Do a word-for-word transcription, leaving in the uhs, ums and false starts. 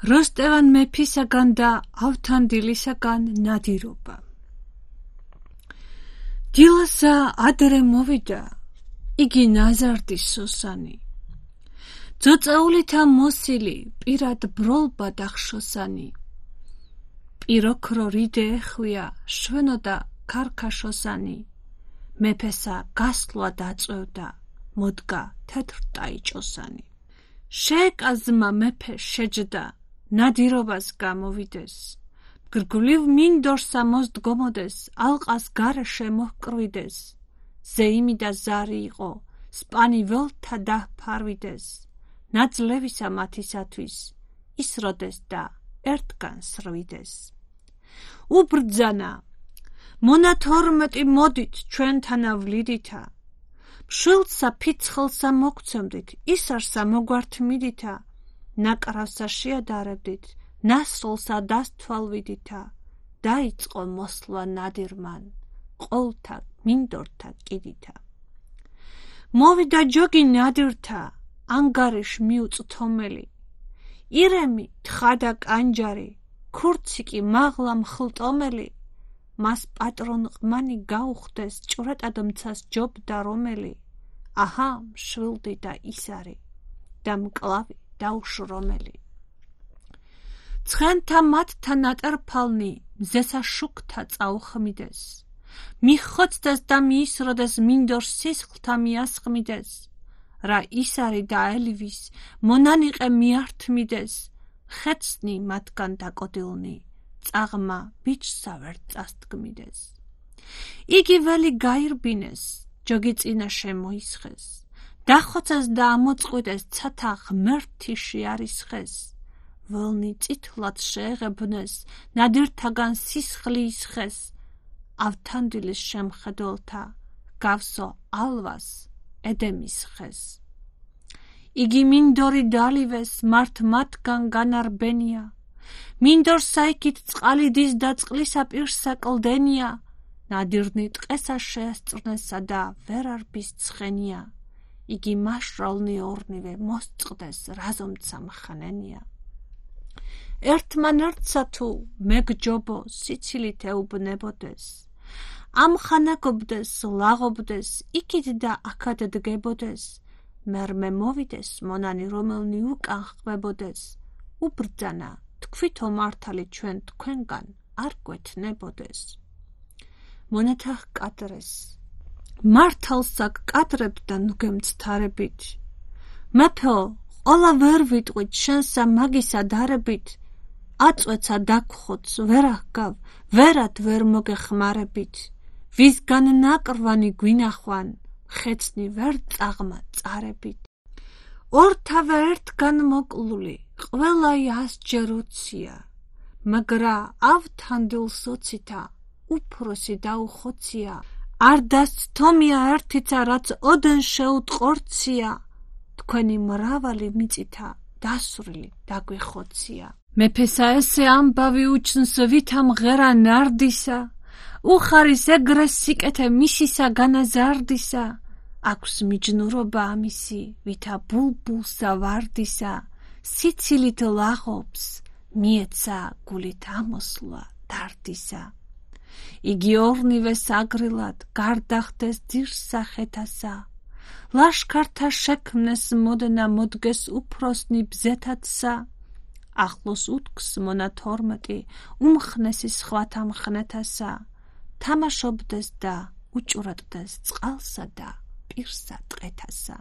როსტევან მეფისაგან და ავთანდილისაგან ნადირობა. დილასა ადრე მოვიდა იგი ნაზარდის სოსანი. ძოწაულითა მოსილი პირად ბროლბა დახშოსანი. პიროქრო რიდე ეხვია შვენო და ქარქაშოსანი. მეფესა გასვლა დაწევდა მოდგა თეთრ ტაიჭოსანი. შეეკაზმა მეფე შეჯდა ნადირობას გამოვიდეს. გრგვლივ მინდორსა მოსდგომოდეს ალყას გარეშე მოჰკრვიდეს. ზეიმი და ზარი იყო სპანი ველთა დაფარვიდეს. ნაძლევისა მათისათვის ისროდეს და ერთგან სრვიდეს. უბრძანა მონათორმეტი მოდით ჩვენთანა ვლიდითა. მშვილდსა ფიცხლსა მოგცემდით ისარსა მოგვართმიდითა. ნაკრავსა შეადარებდით ნასრულსა დასთვალვიდითა. დაიწყო მოსვლა ნადირმან ყოვლთა მინდორთა კიდითა. მოვიდა ჯოგი ნადირთა ანგარიშ მიუწთომელი. ირემი თხადა კანჯარი ქურციკი მაღლა მხლტომელი. მას პატრონ ყმანი გაუხდეს ჭვრეტად მცას ჯობდა რომელი. აჰა მშვილდი და ისარი და მკლავი დაუშრომელი. ცხენთა მათთა ნატერფალნი მზესა შუქთა წაუხმიდეს. მიხოცდეს და მიისროდეს მინდორ სისხლთა მიასხმიდეს. რა ისარი და ელვის მონანიყე მიართმიდეს. ხეცნი მათგან დაკოდილნი წაღმა ბიჭსა ვერ წასდგმიდეს. იგი ველი გაირბინეს ჯოგი წინა შემოისხეს. დახოცეს და ამოწყვიდეს ცათა ღმერთი შეარისხეს. ველნი წითლად შეეღებნეს ნადირთაგან სისხლი ისხეს. ავთანდილის შემხედველთა გავსო ალვას ედემის ხეს. იგი მინდორი დალივეს მართ მათგან განარბენია. მინდორ საიქით წყალიდის და წყლისა პირსა კლდენია. ნადირნი ტყესა შეესწრნესა და ვერ არბის ცხენია. იგი მაშრალნი ორნივე მოსწყდეს რაზომცა მხნენია. ერთმან ერთსა თუ მეგჯობო სიცილით ეუბნებოდეს. ამხანაგობდეს ლაღობდეს იქით და აქად დგებოდეს. მერმე მოვიდეს მონანი რომელნი უკან ხვებოდეს. უბრძანა თქვითო მართალი ჩვენ თქვენგან არ გვეთნებოდეს. მონათა ჰკადრეს მართალსა გკადრებდა ნუგემცთარებით. მეფეო ყოლა ვერ ვიტყვით შენსა მაგისა დარებით. აწვეცა დაგხოც ვერ აღგავ ვერად ვერ მოგეხმარებით. ვისგან ნაკრვანი გვინახვან ხეცნი ვერ წაღმა წარებით. ორთავე ერთგან მოკლული ყველაი ასჯერ უცია. მაგრა ავთანდილ სოცითა უფროსი დაუხოცია. არ დასთომია ერთიცა რაც ოდენ შეუტყორცია. თქვენი მრავალი მიწითა დასვრილი დაგვეხოცია. მეფესა ესე ამბავი უჩნს ვითა მღერა ნარდისა. უხარის ეგრე სიკეთე მისისა განაზარდისა. აქვს მიჯნურობა ამისი ვითა ბულბულსა ვარდისა. სიცილით ლაღობს მიეცა გულით ამოსვლა დარდისა. იგი ორნივე საგრილად გარდახდეს ძირსახეთასა. ლაშქართა შექმნეს მოდნა მოდგეს უფროსნი ბზეთათსა. ახლოს უთქს მონათორმეტი უმხნესი სხვათა მხნეთასა. თამაშობდეს და უჭვრეტდეს წყალსა და პირსა ტყეთასა.